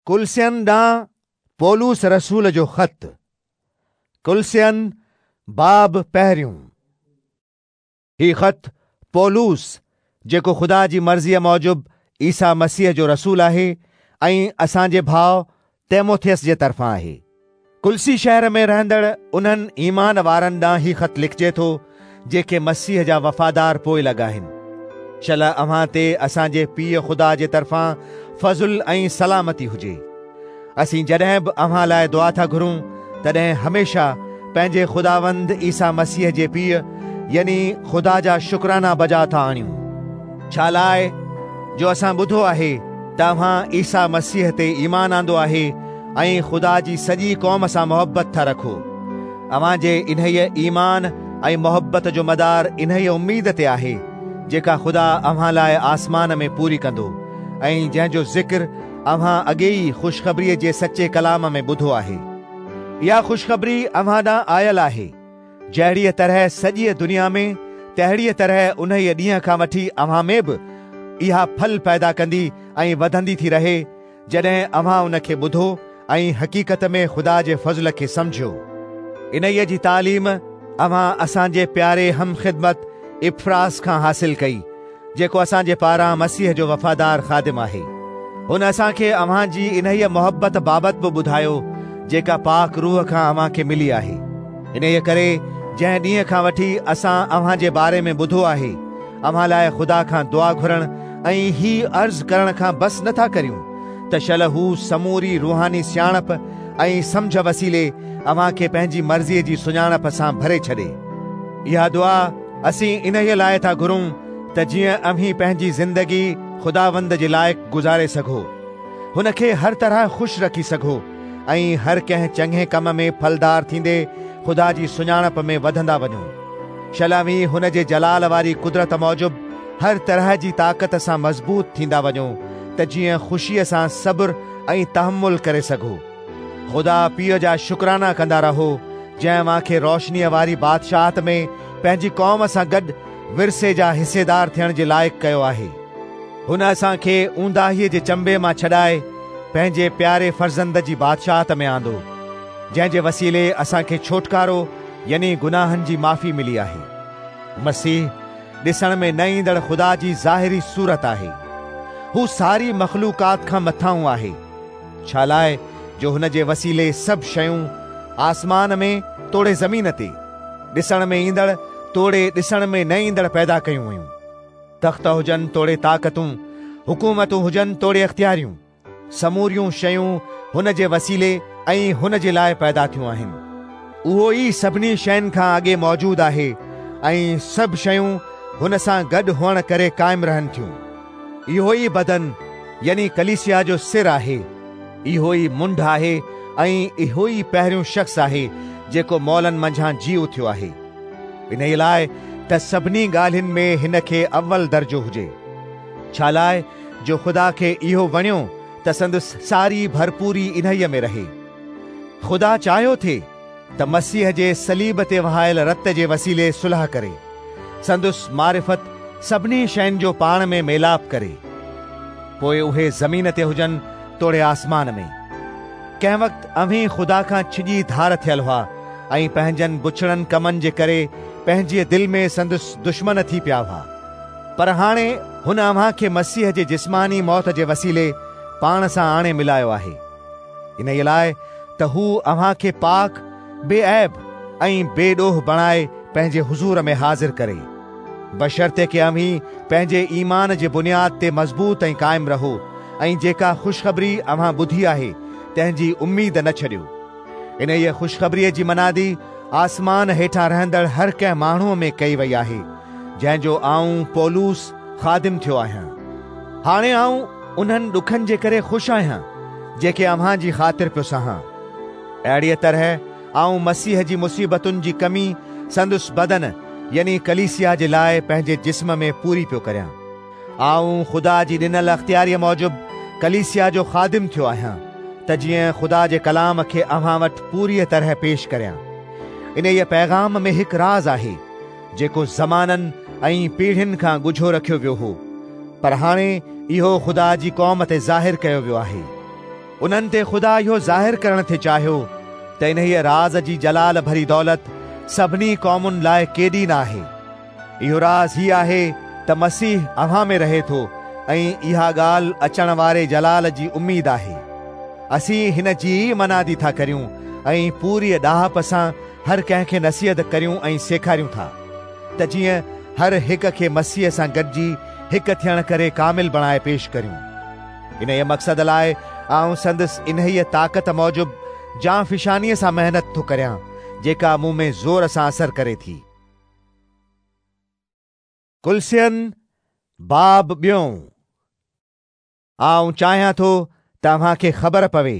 ڪلسين ڏانهن پولس رسول جو خط، ڪلسين، باب پهريون. هي خط پولس، جيڪو خدا جي مرضيء موجب عيسيٰ مسيح جو رسول آهي ۽ اسان جي ڀاء تيموٿيس جي طرفان آهي. ڪلسي شهر ۾ رهندڙ انهن ايمان وارن ڏانهن هي خط لکجي ٿو، جيڪي مسيح جا وفادار پوئلڳ آهن. شل اوهان تي اسان جي پيء خدا جي طرفان فضل ۽ سلامتي هجي. اسين جڏهن به اوهان لاء دعا ٿا گهرون، تڏهن هميشه پنهنجي خداوند عيسيٰ مسيح جي پيء يعني خدا جا شڪرانا بجا ٿا آڻيون. ڇالاء جو اسان ٻڌو آهي ته اوهان عيسيٰ مسيح تي ايمان آندو آهي ۽ خدا جي سڄي قوم سان محبت ٿا رکو. اوهان جي انهيء ايمان ۽ محبت جو مدار انهيء اميد تي آهي، جيڪا خدا اوهان لاء آسمان ۾ پوري ڪندو ۽ جنهن جو ذڪر اوهان اڳي ئي خوشخبريء جي سچي ڪلام ۾ ٻڌو آهي. اها خوشخبري اوهان ڏانهن آيل آهي. جهڙيء طرح سڄيء دنيا ۾، تهڙيء طرح انهيء ڏينهن کان وٺي اوهان ۾ به اها ڦل پيدا ڪندي ۽ وڌندي ٿي رهي، جڏهن اوهان ان کي ٻڌو ۽ حقيقت ۾ خدا جي فضل کي سمجهيو. انهيء جي تعليم اوهان اسان جي پياري هم خدمت اپفراس کان حاصل ڪئي، جيڪو اسان جي پاران مسيح جو وفادار خادم آهي. هن اسان کي اوهان جي انهيء محبت بابت به ٻڌايو، جيڪا پاڪ روح کان اوهان کي ملي آهي. انهيء ڪري جنهن ڏينهن کان وٺي اسان اوهان جي باري ۾ ٻڌو آهي، اوهان لاء خدا کان دعا گهرڻ ۽ هي عرض ڪرڻ کان بس نه ٿا ڪريون ته شل هو سموري روحاني سياڻپ ۽ سمجهه وسيلي اوهان کي پنهنجي مرضيء جي سڃاڻپ سان ڀري ڇڏي. اها دعا اسين انهيء لاء ٿا گهرون ته جيئن اوهين پنهنجي زندگي خداوند جي لائق گذاري سگهو، هن کي هر طرح خوش رکي سگهو ۽ هر ڪنهن چڱي ڪم ۾ ڦلدار ٿيندي خدا جي سڃاڻپ ۾ وڌندا وڃو. شل اوهين هن جي جلال واري قدرت موجب هر طرح جي طاقت سان مضبوط ٿيندا وڃو ته جيئن خوشيء سان صبر ۽ تحمل ڪري سگهو. خدا پيء جا شڪرانا ڪندا رهو، جنهن اوهان کي روشنيء واري بادشاهت ۾ پنهنجي قوم سان گڏ ورثي جا حصيدار ٿيڻ جي لائق ڪيو آهي. هن اسان کي اونداهيء جي چنبي مان ڇڏائي پنهنجي پياري فرزند جي بادشاهت ۾ آندو، جنهن جي وسيلي اسان کي ڇوٽڪارو يعني گناهن جي معافي ملي آهي. مسيح ڏسڻ ۾ نه ايندڙ خدا جي ظاهري صورت آهي. هو ساري مخلوقات کان مٿانهون آهي، ڇالاء جو هن جي وسيلي سڀ شيون آسمان ۾ توڙي زمين تي، ڏسڻ ۾ ايندڙ توڙي ڏسڻ ۾ نه ايندڙ پيدا ڪيون ويون. تخت هجن توڙي طاقتون، حڪومتون هجن توڙي اختياريون. سموريون شيون هن جي وسيلي ۽ هن جي لاء پيدا ٿيون آهن. اهو ئي سڀني شين کان اڳي موجود آهي ۽ سڀ شيون هن سان گڏ هئڻ ڪري قائم رهن ٿيون. اهو ئي بدن يعني ڪليسيا جو سر آهي. اهو ئي منڍ آهي ۽ اهو ئي پهريون شخص آهي جيڪو مئلن منجهان جي اٿيو آهي. انهيء لاء ته سڀني ڳالهين ۾ هن کي اول درجو هجي. ڇالاء جو خدا کي اهو وڻيو ته سندس ساري ڀرپوري انهيء ۾ رهي. خدا چاهيو ٿي ته مسيح جي صليب تي وهايل رت جي وسيلي صلح ڪري، سندس معرفت سڀني شين جو پاڻ ۾ ميلاپ ڪري، پوء اهي زمين تي هجن توڙي آسمان ۾. ڪنهن وقت اوهين خدا کان ڇڄي ڌار ٿيل هئا ۽ پنهنجن بڇڙن ڪمن جي ڪري پنهنجيء دل ۾ سندس دشمن ٿي پيا هئا. پر هاڻي هن اوهان کي مسيح جي جسماني موت جي وسيلي پاڻ سان آڻي ملايو آهي، انهيء لاء ته هو اوهان کي پاڪ، بي عيب ۽ بي ڏوهه بڻائي پنهنجي حضور ۾ حاضر ڪري. بشرطيڪ اوهين پنهنجي ايمان جي بنياد تي مضبوط ۽ قائم رهو ۽ جيڪا خوشخبري اوهان ٻڌي آهي، تنهن جي اميد نه ڇڏيو. انهيء خوشخبريء جي منادي آسمان هيٺان رهندڙ هر ڪنهن ماڻهوء ۾ ڪئي وئي آهي، جنهن جو آئون پولس خادم ٿيو آهيان. هاڻي آئون انهن ڏکن جي ڪري خوش آهيان، جيڪي اوهان جي خاطر پيو سهان. اهڙيء طرح آئون مسيح جي مصيبتن جي ڪمي سندس بدن يعني ڪليسيا جي لاء پنهنجي جسم ۾ پوري پيو ڪريان. آئون خدا جي ڏنل اختياريء موجب ڪليسيا جو خادم ٿيو آهيان، ته جيئن خدا جي ڪلام کي اوهان وٽ پوريء طرح پيش ڪريان. انهيء پيغام ۾ هڪ راز آهي، جيڪو زمانن ۽ پيڙهين کان ڳجهو رکيو ويو هو، پر هاڻي اهو خدا جي قوم تي ظاهر ڪيو ويو آهي. انهن تي خدا اهو ظاهر ڪرڻ ٿي چاهيو ته انهيء راز جي جلال ڀري دولت سڀني قومن لاء ڪيڏي نه آهي. اهو راز هي آهي ته مسيح اوهان ۾ رهي ٿو ۽ اها ڳالهه اچڻ واري جلال جي اميد آهي. اسين هن جي ئي منادي ٿا ڪريون ۽ پوريء ڏاهپ سان هر ڪنهن کي نصيحت ڪريون ۽ سيکاريون ٿا، ته جيئن هر هڪ کي مسيح سان گڏجي هڪ ٿيڻ ڪري ڪامل بڻائي پيش ڪريون. انهيء مقصد لاء آئون سندس انهيء طاقت موجب جانفشانيء سان محنت ٿو ڪريان، جيڪا مون ۾ زور سان اثر ڪري ٿي. ڪلسين، باب ٻيون. آئون چاهيان ٿو ته اوهان کي خبر پوي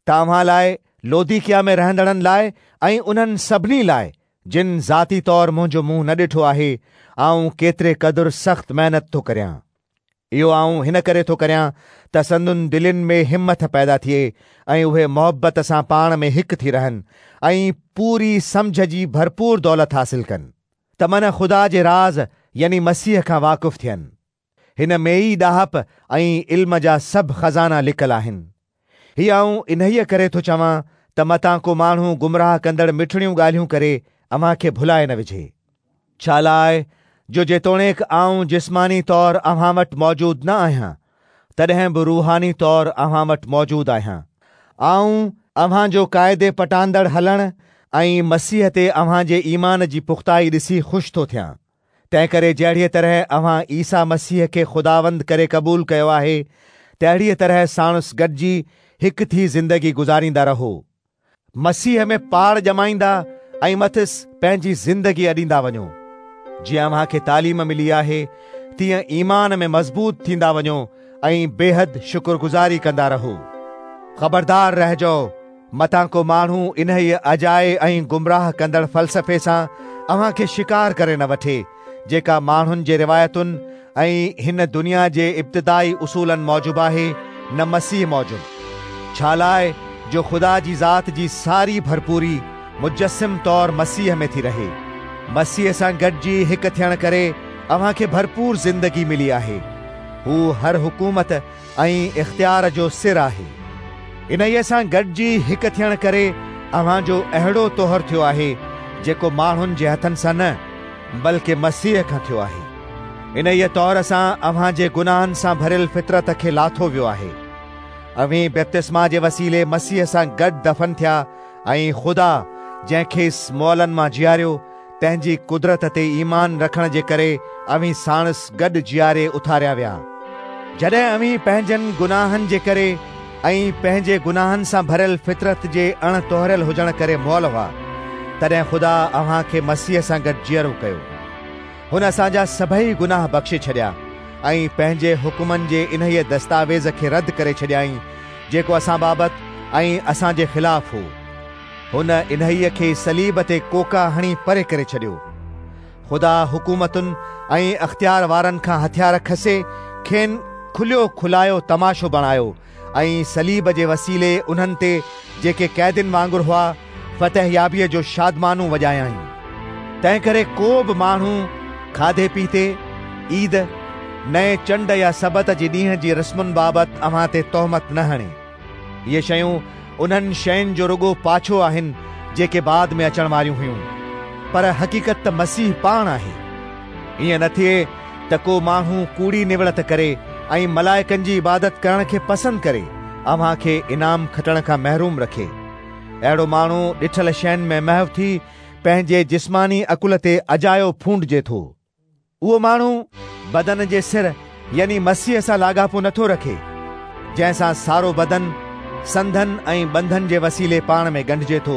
ته اوهان لاء، لوديڪيا ۾ رهندڙن لاء ۽ انهن سڀني لاء جن ذاتي طور منهنجو منهن نه ڏٺو آهي، آئون ڪيتري قدر سخت محنت ٿو ڪريان. اهو آئون هن ڪري ٿو ڪريان ته سندن دلين ۾ همٿ پيدا ٿئي ۽ اهي محبت سان پاڻ ۾ هڪ ٿي رهن ۽ پوري سمجهه جي ڀرپور دولت حاصل ڪن، ته من خدا جي راز يعني مسيح کان واقف ٿين. هن ۾ ئي ڏاهپ ۽ علم جا سڀ خزانا لڪل آهن. هي آئون انهيء ڪري ٿو چوان ته متان ڪو ماڻهو گمراهه ڪندڙ مٺڙيون ڳالهيون ڪري اوهان کي ڀلائي نه وجهي. ڇالاء جو جيتوڻيڪ آئون جسماني طور اوهان وٽ موجود نه آهيان، تڏهن به روحاني طور اوهان وٽ موجود آهيان. آئون اوهان جو قاعدي پٽاندڙ هلڻ ۽ مسيح تي اوهان جي ايمان جي پختائي ڏسي خوش ٿو ٿيان. تنهنڪري جهڙيء طرح اوهان عيسيٰ مسيح کي خداوند ڪري قبول ڪيو آهي، تهڙيء طرح ساڻس گڏجي هڪ ٿي زندگي گذاريندا رهو. مسيح ۾ پاڙ ڄمائيندا ۽ مٿس پنهنجي زندگي اڏيندا وڃو. جيئن اوهان کي تعليم ملي آهي، تيئن ايمان ۾ مضبوط ٿيندا وڃو ۽ بيحد شڪرگذاري ڪندا رهو. خبردار رهجو! متان ڪو ماڻهو انهيء اجائي ۽ گمراهه ڪندڙ فلسفي سان اوهان کي شڪار ڪري نه وٺي، جيڪا ماڻهن جي روايتن ۽ هن دنيا جي ابتدائي اصولن موجب آهي، نه مسيح موجب. ڇالاء جو خدا جي ذات جي ساري ڀرپوري مجسم طور مسيح ۾ ٿي رهي. مسيح سان گڏجي هڪ ٿيڻ ڪري اوهان کي ڀرپور زندگي ملي آهي. هو هر حڪومت ۽ اختيار جو سر آهي. انهيء سان گڏجي هڪ ٿيڻ ڪري اوهان جو اهڙو طهر ٿيو آهي، جيڪو ماڻهن جي هٿن سان نه، بلڪ مسيح کان ٿيو آهي. انهيء طهر سان اوهان جي گناهن سان ڀريل فطرت کي لاٿو ويو آهي. اوهين بپتسما جي وسيلي مسيح سان گڏ دفن ٿيا ۽ خدا، جنهن کيس مئلن مان جياريو، تنهن جي قدرت تي ايمان رکڻ جي ڪري اوهين ساڻس گڏ جياري اٿاريا ويا. جڏهن اوهين پنهنجن گناهن جي ڪري ۽ پنهنجي گناهن سان ڀريل فطرت جي اڻ طهريل هجڻ ڪري مئل هئا، تڏهن خدا اوهان کي مسيح سان گڏ جيئرو ڪيو. هن اسان جا سڀئي گناهه بخشي ڇڏيا ۽ پنهنجي حڪمن جي انهيء دستاويز کي رد ڪري ڇڏيائين، جيڪو اسان بابت ۽ اسان جي خلاف هو. هن انهيء کي صليب تي ڪوڪا هڻي پري ڪري ڇڏيو. خدا حڪومتن ۽ اختيار وارن کان هٿيار کسي کين کليو کلايو تماشو بڻايو ۽ صليب جي وسيلي انهن تي جيڪي قيدين وانگر هئا، فتحيابيء جو شادمانو وڄايائين. تنهنڪري ڪو به ماڻهو کاڌي پيتي، عيد، نئين چنڊ يا سبت جي ڏينهن جي رسمن بابت اوهان تي تهمت نه هڻي. اهي شيون انهن شين جو رڳو پاڇو آهن جيڪي بعد ۾ اچڻ واريون هيون، پر حقيقت ته مسيح پاڻ آهي. ائين نه ٿئي ته ڪو ماڻهو ڪوڙي نوڙت ڪري ۽ ملائڪن جي عبادت ڪرڻ کي پسند ڪري اوهان کي انعام کٽڻ کان محروم رکي. اهڙو ماڻهو ڏٺل شين ۾ محو ٿي پنهنجي جسماني عقل تي اجايو ڦونڊجي ٿو. اهو ماڻهو بدن جي سر يعني مسيح سان لاڳاپو نٿو رکي، جنهن سان سارو بدن سنڌن ۽ ٻنڌن جي وسيلي پاڻ ۾ ڳنڍجي ٿو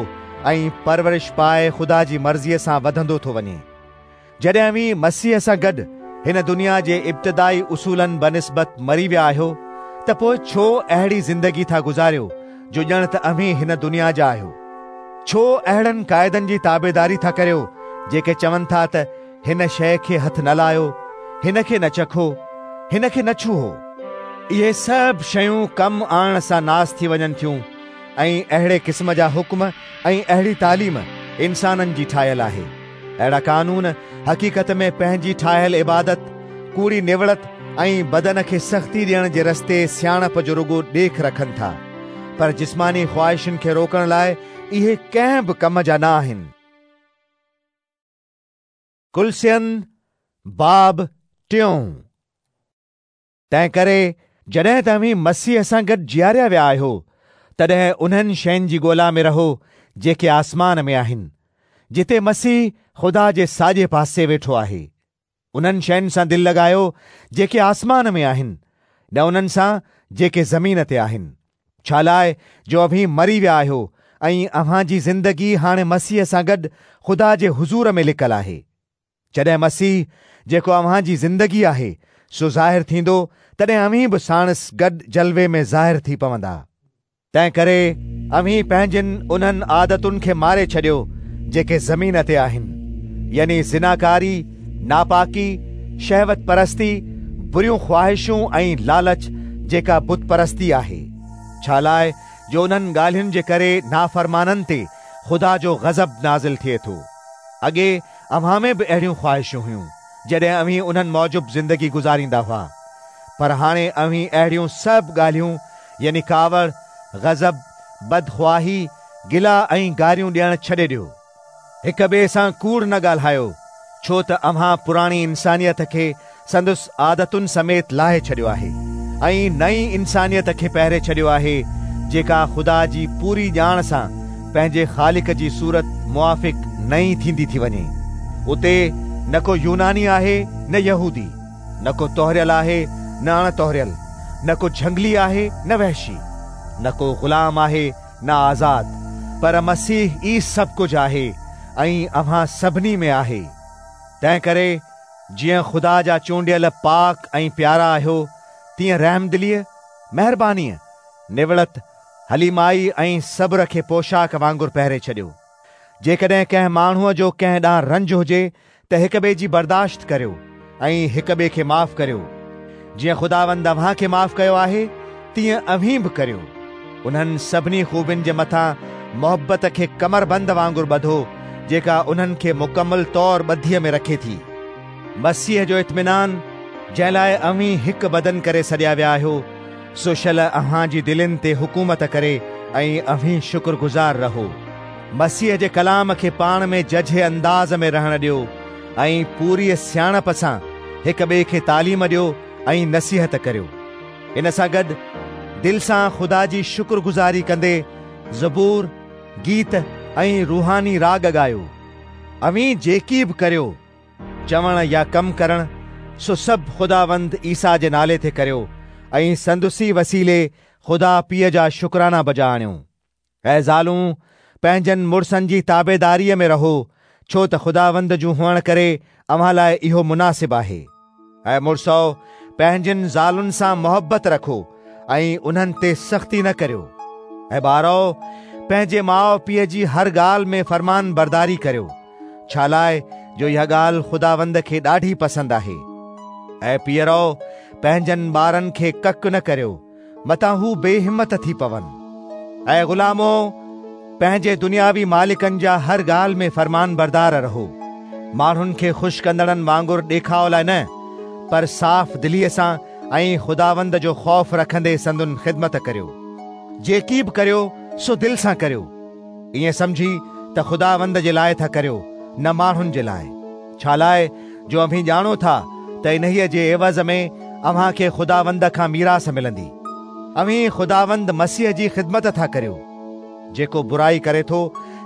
۽ پرورش پائي خدا جي مرضيء سان وڌندو ٿو وڃي. جڏهن اوهين مسيح سان گڏ هن دنيا جي ابتدائي اصولن بنسبت مري ويا آهيو ته پوء ڇو اهڙي زندگي ٿا گذاريو جو ڄڻ ته اوهين هن دنيا جا آهيو؟ ڇو اهڙن قاعدن جي تابعداري ٿا ڪريو جيڪي چون ٿا ته هن شيء کي هٿ نه لايو، هن کي نه چکو، هن کي نه ڇهو. اهي سڀ شيون ڪم آڻڻ سان ناس ٿي وڃن ٿيون ۽ اهڙي قسم جا حڪم ۽ اهڙي تعليم انسانن جي ٺاهيل آهي. اهڙا قانون حقيقت ۾ پنهنجي ٺاهيل عبادت، ڪوڙي نوڙت ۽ بدن کي سختي ڏيڻ جي رستي سياڻپ جو رڳو ڏيک رکن ٿا. پر جسماني خواهشن کي روڪڻ لاء اهي ڪنهن به ڪم جا نه آهن. ڪلسين باب ٽيون. تنهنڪري جڏهن ته اوهين مسيح سان گڏ جياريا ويا آهيو، تڏهن انهن شين جي ڳولا ۾ رهو جيڪي آسمان ۾ آهن، جتي مسيح خدا جي ساڄي پاسي ويٺو آهي. انهن شين سان دل لڳايو جيڪي آسمان ۾ آهن، نه انهن سان جيڪي زمين تي آهن. ڇالاء جو اوهين مري ويا آهيو ۽ اوهان جي زندگي هاڻي مسيح سان گڏ خدا جي حضور ۾ لڪل آهي. جڏهن مسيح، جيڪو اوهان جي زندگي آهي، سو ظاهر ٿيندو، تڏهن اوهين به ساڻس گڏ جلوي ۾ ظاهر ٿي پوندا. تنهنڪري اوهين پنهنجين انهن عادتن کي ماري ڇڏيو، جيڪي زمين تي آهن، يعني زناڪاري، ناپاڪي، شهوت پرستي، بريون خواهشون ۽ لالچ، جيڪا بت پرستي آهي. ڇالاء جو انهن ڳالهين جي ڪري نافرمانن تي خدا جو غضب نازل ٿئي ٿو. اڳي اوهان ۾ به اهڙيون خواهشون هيون، جڏهن اوهين انهن موجب زندگي گذاريندا هئا. پر هاڻي اوهين اهڙيون سڀ ڳالهيون يعني ڪاوڙ، غضب، بدخواهي، گلا ۽ گاريون ڏيڻ ڇڏي ڏيو. هڪ ٻئي سان ڪوڙ نه ڳالهايو، ڇو ته اوهان پراڻي انسانيت کي سندس عادتن سميت لاهي ڇڏيو آهي ۽ نئين انسانيت کي پهري ڇڏيو آهي، جيڪا خدا جي پوري ڄاڻ سان پنهنجي خالق جي صورت موافق نئين ٿيندي ٿي وڃي. اتي نه ڪو يوناني آهي نه يهودي، نه ڪو طهريل آهي نه اڻ طهريل، نه ڪو جهنگلي آهي نه وحشي، نه ڪو غلام آهي نه آزاد، پر مسيح ئي سڀ ڪجهه آهي ۽ اوهان سڀني ۾ آهي. تنهنڪري جيئن خدا جا چونڊيل پاڪ ۽ پيارا آهيو، تيئن رحمدليء، مهربانيء، نوڙت، حليمائي ۽ صبر کي پوشاڪ وانگر پهري ڇڏيو. جيڪڏهن ڪنهن ماڻهوء جو ڪنهن ڏانهن رنج هجي ته هڪ ٻئي جي برداشت ڪريو ۽ هڪ ٻئي کي معاف ڪريو. جيئن خداوند اوهان کي معاف ڪيو آهي، تيئن اوهين به ڪريو. انهن سڀني خوبين جي مٿان محبت کي ڪمربند وانگر ٻڌو، جيڪا انهن کي مڪمل طور ٻڌيء ۾ رکي ٿي. مسيح جو اطمينان، جنهن لاء اوهين هڪ بدن ڪري سڏيا ويا آهيو، سو شل اوهان جي دلين تي حڪومت ڪري ۽ اوهين شڪرگذار رهو. مسيح جي ڪلام کي پاڻ ۾ ججهي انداز ۾ رهڻ ڏيو ۽ پوريء سياڻپ سان هڪ ٻئي کي تعليم ڏيو ۽ نصيحت ڪريو. ان سان گڏ دل سان خدا جي شڪرگذاري ڪندي زبور، گيت ۽ روحاني راڳ ڳايو. اوهين جيڪي به ڪريو، چوڻ يا ڪم ڪرڻ، سو سڀ خداوند عيسيٰ جي نالي تي ڪريو ۽ سندس ئي وسيلي خدا پيء جا شڪرانا بجا آڻيو. اي زالون، پنهنجن مڙسن جي تابعداريء ۾ رهو، ڇو ته خداوند جون هئڻ ڪري اوهان لاء اهو مناسب آهي. اي مڙسؤ، پنهنجين زالن سان محبت رکو ۽ انهن تي سختي نه ڪريو. اي ٻارؤ، پنهنجي ماء پيء جي هر ڳالهه ۾ فرمانبرداري ڪريو، ڇالاء جو اها ڳالهه خداوند کي ڏاڍي پسند آهي. اي پيئرؤ، پنهنجن ٻارن کي ڪڪ نه ڪريو، متان هو بي همت ٿي پون. اي غلامو! پنهنجي دنياوي مالڪن جا هر ڳالهه ۾ فرمانبردار رهو. ماڻهن کي خوش ڪندڙن وانگر ڏيکاء لاء نه، پر صاف دليء سان ۽ خداوند جو خوف رکندي سندن خدمت ڪريو. جيڪي به ڪريو سو دل سان ڪريو، ائين سمجهي ته خداوند جي لاء ٿا ڪريو، نه ماڻهن جي لاء. ڇالاء جو اوهين ڄاڻو ٿا ته انهيء جي عيوض ۾ اوهان کي خداوند کان ميراث ملندي. اوهين خداوند مسيح جي خدمت ٿا ڪريو. جيڪو برائي ڪري ٿو،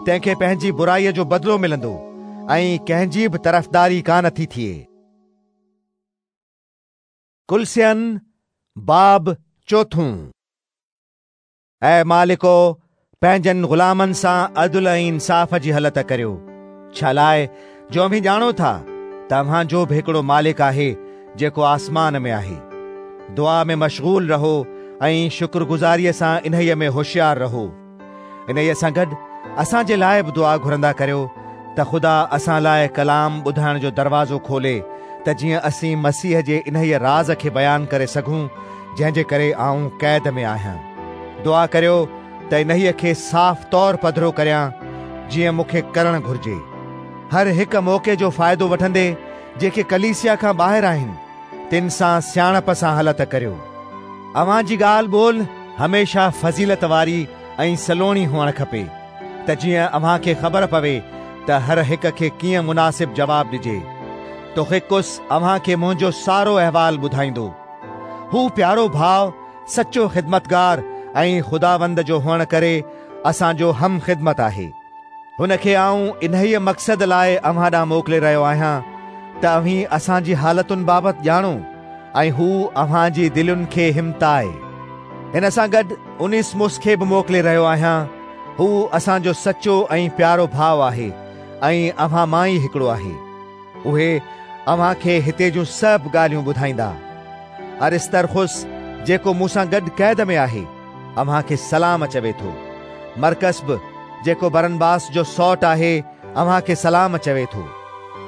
تنهن کي پنهنجي برائيء جو بدلو ملندو ۽ ڪنهن جي به طرفداري ڪانه ٿي ٿئي. ڪلسين باب چوٿون. اي مالڪو! پنهنجن غلامن سان عدل ۽ انصاف جي هلت ڪريو، ڇالاء جو اوهين ڄاڻو ٿا ته اوهان جو به هڪڙو مالڪ آهي جيڪو آسمان ۾ آهي. دعا ۾ مشغول رهو ۽ شڪرگذاريء سان انهيء ۾ هوشيار رهو. انهيء سان گڏ اسان جي لاء به دعا گهرندا ڪريو ته خدا اسان لاء ڪلام ٻڌائڻ جو دروازو کولي ته جيئن اسين مسيح جي انهيء راز کي بيان ڪري سگهون جنهن جي ڪري آئون قيد ۾ آهيان. دعا ڪريو ته انهيء کي صاف طور پڌرو ڪريان جيئن مون کي ڪرڻ گهرجي. هر هڪ موقعي جو فائدو وٺندي جيڪي ڪليسيا کان ٻاهر آهن، تن سان سياڻپ سان هلت ڪريو. اوهان جي ڳالهه ٻولهه هميشه فضيلت واري ۽ سلوڻي هئڻ کپي، ته جيئن اوهان کي خبر پوي ته هر هڪ کي ڪيئن مناسب جواب ڏجي. تخڪس اوهان کي منهنجو سارو احوال ٻڌائيندو. هو پيارو ڀاء، سچو خدمتگار ۽ خداوند جو هئڻ ڪري اسان جو هم خدمت آهي. هن کي آئون انهيء مقصد لاء اوهان ڏانهن موڪلي رهيو آهيان ته اوهين اسان جي حالتن بابت ڄاڻو ۽ هو اوهان جي دلين کي همتائي. هن سان گڏ انيسمس کي به موڪلي رهيو آهيان. هو اسان جو سچو ۽ پيارو ڀاء آهي ۽ اوهان مان ئي هڪڙو آهي. اهي اوهان کي هتي جون سڀ ڳالهيون ٻڌائيندا. ارسترخس جيڪو مون سان گڏ قيد ۾ آهي، اوهان کي سلام چوي ٿو. مرقس به جيڪو برنباس جو سئوٽ آهي، اوهان کي سلام چوي ٿو.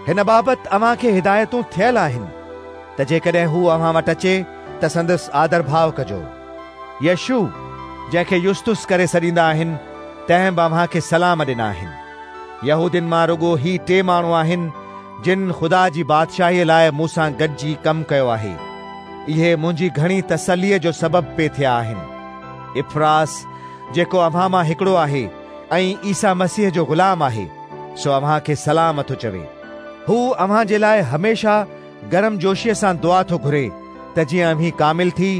هن بابت اوهان کي هدايتون ٿيل آهن ته جيڪڏهن هو اوهان وٽ اچي ته سندس آدرڀاء ڪجو. يسوع، جنهن کي يستس ڪري سڏيندا آهن، تنهن به اوهان کي سلام ڏنا آهن. يهودين مان رڳو هي ٽي ماڻهو آهن، جن خدا جي بادشاهيء لاء مون سان گڏجي ڪم ڪيو آهي. اهي منهنجي گهڻي تسليء جو سبب پئي ٿيا آهن. اپفراس، جيڪو اوهان مان هڪڙو آهي ۽ عيسيٰ مسيح جو غلام آهي، سو اوهان کي سلام ٿو چوي. هو اوهان جي لاء هميشه گرمجوشيء سان دعا ٿو گهري ته جيئن اوهين ڪامل ٿي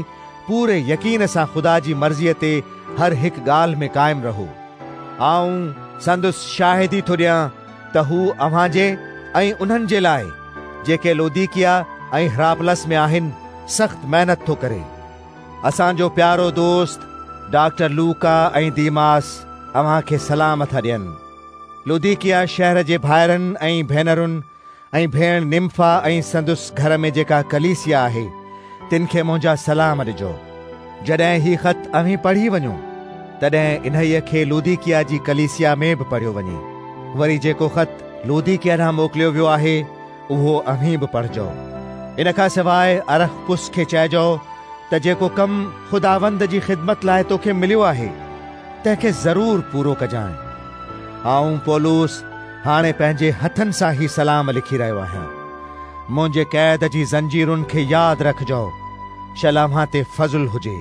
پوري يقين سان خدا جي مرضيء تي هر هڪ ڳالهه ۾ قائم رهو. آئون سندس شاهدي ٿو ڏيان ته هو اوهان جي ۽ انهن جي لاء جيڪي لوديڪيا ۽ هراپلس ۾ آهن، سخت محنت ٿو ڪري. اسان جو پيارو دوست ڊاڪٽر لوقا ۽ ديماس اوهان کي سلام ٿا ڏين. لوديڪيا شهر جي ڀائرن ۽ ڀينرن ۽ ڀيڻ نمفا ۽ سندس گهر ۾ جيڪا ڪليسيا آهي، تن کي منهنجا سلام ڏجو. جڏهن هي خط اوهين پڙهي وڃو، تڏهن انهيء کي لوديڪيا جي ڪليسيا ۾ به پڙهيو وڃي. وري جيڪو خط لوديڪيا ڏانهن موڪليو ويو آهي، اهو اوهين به پڙهجو. ان کان سواء ارخپس کي چئجو ته جيڪو ڪم خداوند جي خدمت لاء توکي مليو آهي، تنهن کي ضرور پورو ڪجانء. آئون پولس هاڻي پنهنجي هٿن سان هي سلام لکي رهيو آهيان. منهنجي قيد جي زنجيرن کي ياد رکجو. شل اوهان تي فضل هجي.